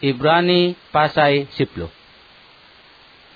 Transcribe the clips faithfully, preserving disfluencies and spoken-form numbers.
Ibrani pasai siploh.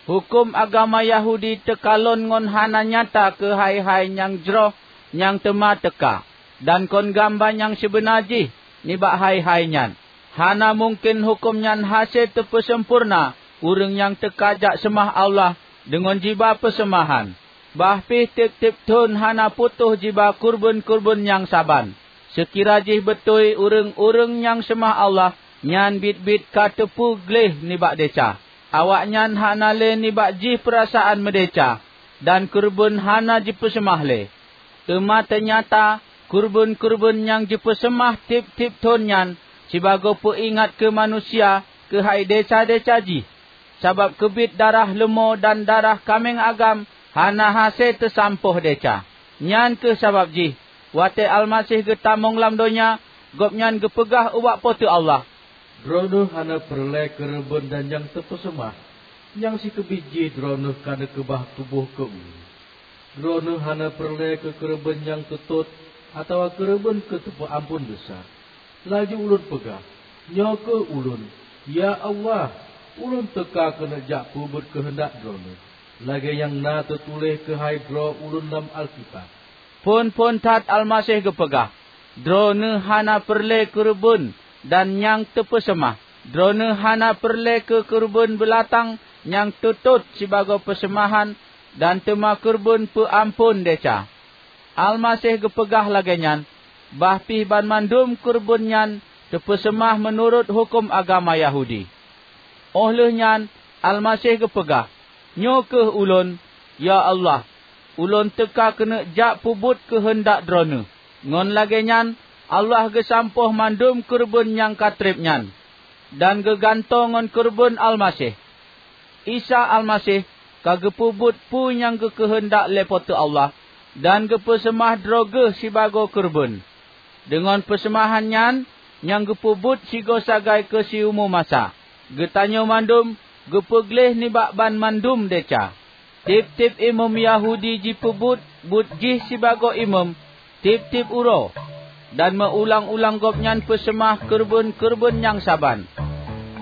Huköm agama Yahudi teukalon ngon hana nyata keu hai-hai nyang jroh nyang teuma teuka, dan kon gamba nyang sibeuna jih nibak hai-hai nyan. Hana mungken huköm nyan hase teupeuseumpurna ureuëng nyang teuka jak seumah Allah deungon jiba peuseumahan. Bah pih tieb-tieb thon hana putôh jiba keureubeuen-keureubeuen nyang saban. Seukira jih beutôi ureuëng-ureuëng nyang seumah Allah nyan biet-biet ka teupeu gleh nibak desya, awaknyan hana lé nibak jih peurasaan meudesya, dan keureubeuen hana jipeuseumah lé. Teuma teunyata keureubeuen-keureubeuen nyang jipeuseumah tieb-tieb thon nyan sibagoe peuingat keu manusia keuhai desya-desya jih, sabab keubiet darah leumô dan darah kaméng agam hana hase teusampôh desya. Nyan kheueh sabab jih, watée Almaseh geutamong lam donya, Gobnyan geupeugah ubak Po teu Allah, "Droeneueh hana peureulée keureubeuen dan nyang teupeuseumah, nyang sikeubiet jih Droeneueh ka neukeubah tuboh keu ulôn. Droeneueh hana peureulée keu keureubeuen nyang teutot atawa keureubeuen keu teupeu amphon desya." Laju ulôn peugah, "Nyoe kheueh ulôn, ya Allah, ulôn teuka keuneuk jak peubuet keuheundak Droeneueh, lagée nyang na teutuléh keuhai droe ulôn lam Alkitab." Phon-phon that Almaseh geupeugah, "Droeneueh hana peureulée keureubeuen dan nyang teupeuseumah. Droeneueh hana peureulée keu keureubeuen beulatang nyang teutot sibagoe peuseumahan dan teuma keureubeuen peu amphon desya." Almaseh geupeugah lagée nyan, bah pih banmandum keureubeuen nyan teupeuseumah meunurot huköm agama Yahudi. Óh lheueh nyan Almaseh geupeugah, "Nyoe kheueh ulôn, ya Allah, ulôn teuka keuneuk jak peubuet keuheundak Droeneueh." Ngon lagée nyan Allah geusampôh mandum keureubeuen nyang ka treb nyan, dan geugantoe ngon keureubeuen Almaseh. Isa Almaseh ka geupeubuet peue nyang geukeuheundak lé Po teu Allah dan geupeuseumah droe Geuh sibagoe keureubeuen. Deungon peuseumahan nyan nyang geupeubuet sigoe sagai keu siumu masa, geutanyoe mandum geupeugleh nibak banmandum desya. Tieb-tieb imeum Yahudi jipeubuet buet jih sibagoe imeum tieb-tieb uroe, dan meu-ulang-ulang gobnyan peuseumah keureubeuen-keureubeuen nyang saban.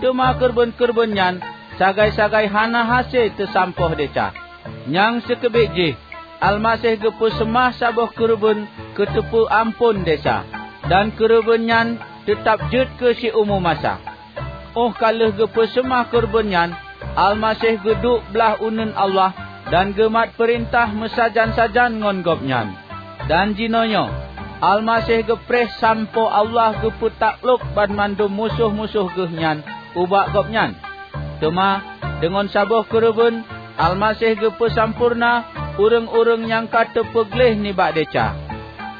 Teuma keureubeuen-keureubeuen nyan sagai-sagai hana hase teusampôh desya. Nyang sikeubiet jih, Almaseh geupeuseumah saboh keureubeuen keu teupeu amphon desya, dan keureubeuen nyan teutab jeuet keu siumu masa. Óh ka lheueh geupeuseumah keureubeuen nyan, Almaseh geuduek blaih uneuen Allah dan geumat peurintah meusajan-sajan ngon Gobnyan. Dan jinoenyoe Almaseh geupreh sampoe Allah geupeu taklok banmandum musoh-musoh Geuh nyan ubak Gobnyan. Teuma deungon saboh keureubeuen Almaseh geupeusampoereuna ureuëng-ureuëng nyang ka teupeugleh nibak desya.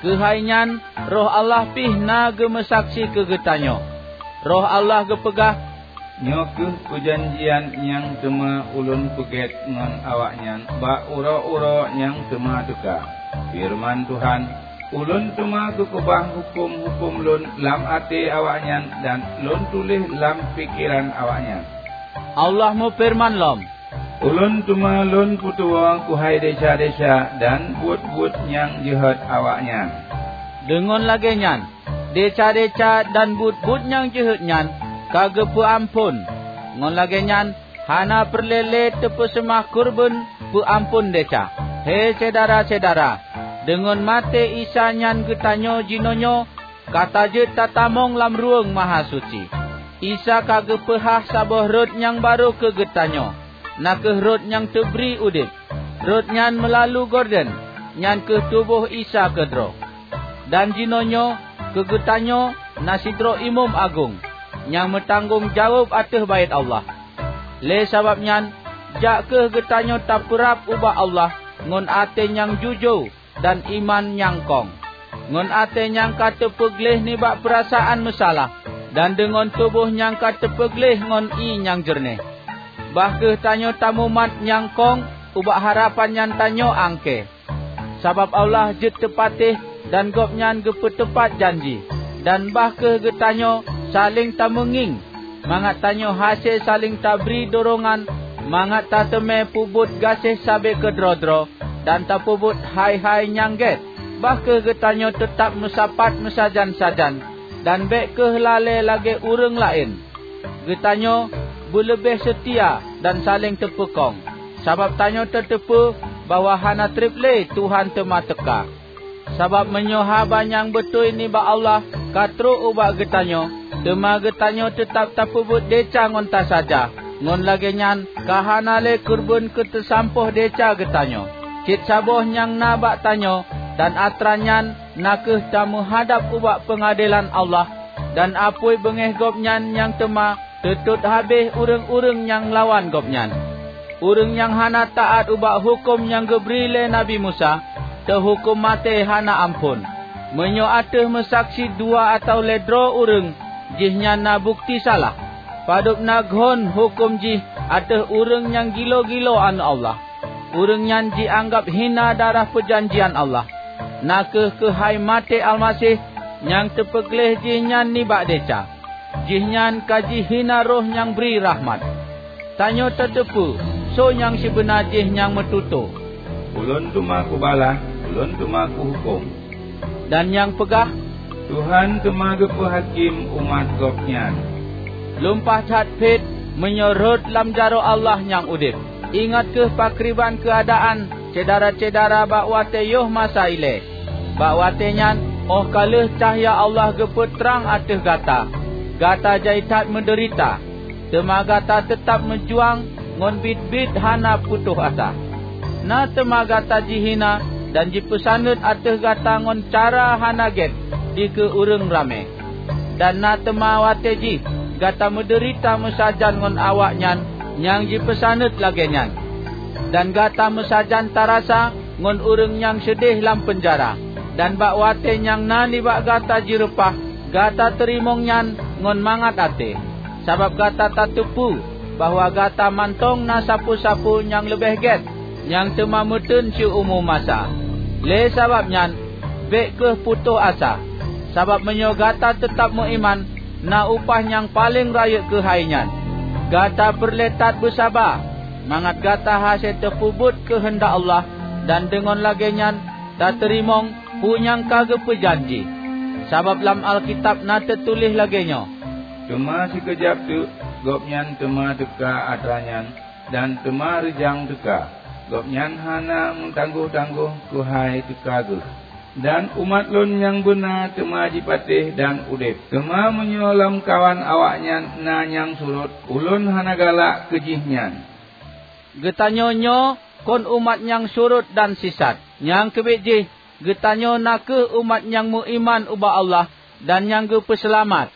Keuhai nyan Roh Allah pih na geumeusaksi keu geutanyoe. Roh Allah geupeugah, "Nyoe kheueh peujanjian nyang teuma Ulôn peugét ngon awaknyan bak uroe-uroe nyang teuma teuka. Feureuman Tuhan, 'Ulôn teuma geukeubah huköm-huköm Lôn lam até awaknyan dan Lôn tuléh lam pikeran awaknyan.' Allah meufeureuman lom, 'Ulôn teuma Lôn peutuwoe keuhai desya-desya dan buet-buet nyang jeuhet awaknyan.' Deungon lagée nyan, desya-desya dan buet-buet nyang jeuhet nyan ka geupeu amphon. Ngon lagée nyan, hana peureulée lé teupeuseumah keureubeuen peu amphon desya. He syedara-syedara, deungon maté Isa nyan geutanyoe jinoenyoe ka tajeuet tatamong lam Ruweueng Mahasuci. Isa ka geupeuhah saboh rot nyang barô keu geutanyoe, na kheueh rot nyang teubri udeb. Rot nyan meulalu gorden, nyan kheueh tuboh Isa keudroe. Dan jinoenyoe keu geutanyoe na sidroe Imeum Agong nyang meutanggong jaweueb ateueh Baét Allah. Lé sabab nyan, jak kheueh geutanyoe tapeurab ubak Allah ngon até nyang jujoe dan iman nyang kong, ngon até nyang ka teupeugleh nibak peurasaan meusalah, dan deungon tuboh nyang ka teupeugleh ngon ié nyang jeureunéh. Bah kheueh tanyoe tamumat nyang kong ubak harapan nyang tanyoe angkée. Sabab Allah jeuet teupatéh dan Gobnyan geupeuteupat janji, dan bah kheueh geutanyoe saléng tameungieng, mangat tanyoe hase saléng tabri dorongan mangat tateumé peubuet gaséh sabe keudroe-droe dan tapeubuet hai-hai nyang gét. Bah kheueh geutanyoe teutab meusapat meusajan-sajan, dan bék kheueh lalée lagée ureuëng laén. Geutanyoe beuleubeh seutia dan saléng teupeukong, sabab tanyoe tateupeue bahwa hana treb lé Tuhan teuma teuka. Sabab meunyoe haba nyang beutôi nibak Allah ka trok ubak geutanyoe, teuma geutanyoe teutab tapeubuet desya ngon tasaja, ngon lagée nyan ka hana lé keureubeuen keu teusampôh desya geutanyoe. Cit saboh nyang na bak tanyoe, dan atra nyan na kheueh tameuhadab ubak peungadelan Allah, dan apui beungéh Gobnyan nyang teuma teutot habéh ureuëng-ureuëng nyang lawan Gobnyan. Ureuëng nyang hana taát ubak huköm nyang geubri lé Nabi Musa, teuhuköm maté hana amphon. Meunyoe ateueh meusaksi dua atawa lhée droe ureuëng, jihnyan na bukeuti salah, padub na ghon huköm jih ateueh ureuëng nyang gilo-gilo Aneuëk Allah, ureuëng nyan jianggab hina darah peujanjian Allah, na kheueh keuhai maté Almaseh nyang teupeugleh jihnyan nibak desya. Jihnyan ka jihina Roh nyang bri rahmat. Tanyoe tateupeue soe nyang sibeuna jih nyang meututoe. "Ulôn teuma kubalaih, ulôn teuma kuhuköm," dan nyang peugah, "Tuhan teuma geupeuhakém umat Gobnyan." Lumpah that phét meunyoe rhot lam jaroe Allah nyang udeb. Ingat kheueh pakriban keuadaan syedara-syedara bak watée yoh masa ilée. Bak watée nyan, óh ka lheueh cahya Allah geupeutrang ateueh gata, gata jai that meudeurita, teuma gata teutab meujuang ngon biet-biet hana putôh asa. Na teuma gata jihina dan jipeusaneut ateueh gata ngon cara hana gét dikeue ureuëng ramé. Dan na teuma watée jih gata meudeurita meusajan ngon awaknyan nyang jipeusaneut lagée nyan. Dan gata meusajan tarasa ngon ureuëng nyang seudeh lam peunjara, dan bak watée nyang na nibak gata jireupah, gata teurimong nyan ngon mangat até, sabab gata tateupeue bahwa gata mantong na sapeue-sapeue nyang leubeh gét nyang teuma meuteun siumu masa. Lé sabab nyan, bék kheueh putôh asa, sabab meunyoe gata teutab meuiman, na upah nyang paleng rayeuk keuhai nyan. Gata peureulée that beusaba, mangat gata hase teupeubuet keuheundak Allah, dan deungon lagée nyan tateurimong peue nyang ka geupeujanji. Sabab lam Alkitab na teutuléh lagée nyoe, "Teuma sikeujab teuk Gobnyan teuma teuka atra nyan, dan teuma reujang teuka. Gobnyan hana meutanggoh-tanggoh keuhai teuka Geuh. Dan umat Lôn nyang beuna teuma jipatéh dan udeb. Teuma meunyoe lamkawan awaknyan na nyang surot, Ulôn hana galak keu jihnyan." Geutanyoe nyoe kon umat nyang surot dan sisat. Nyang keubiet jih, geutanyoe na kheueh umat nyang meuiman ubak Allah dan nyang geupeuseulamat.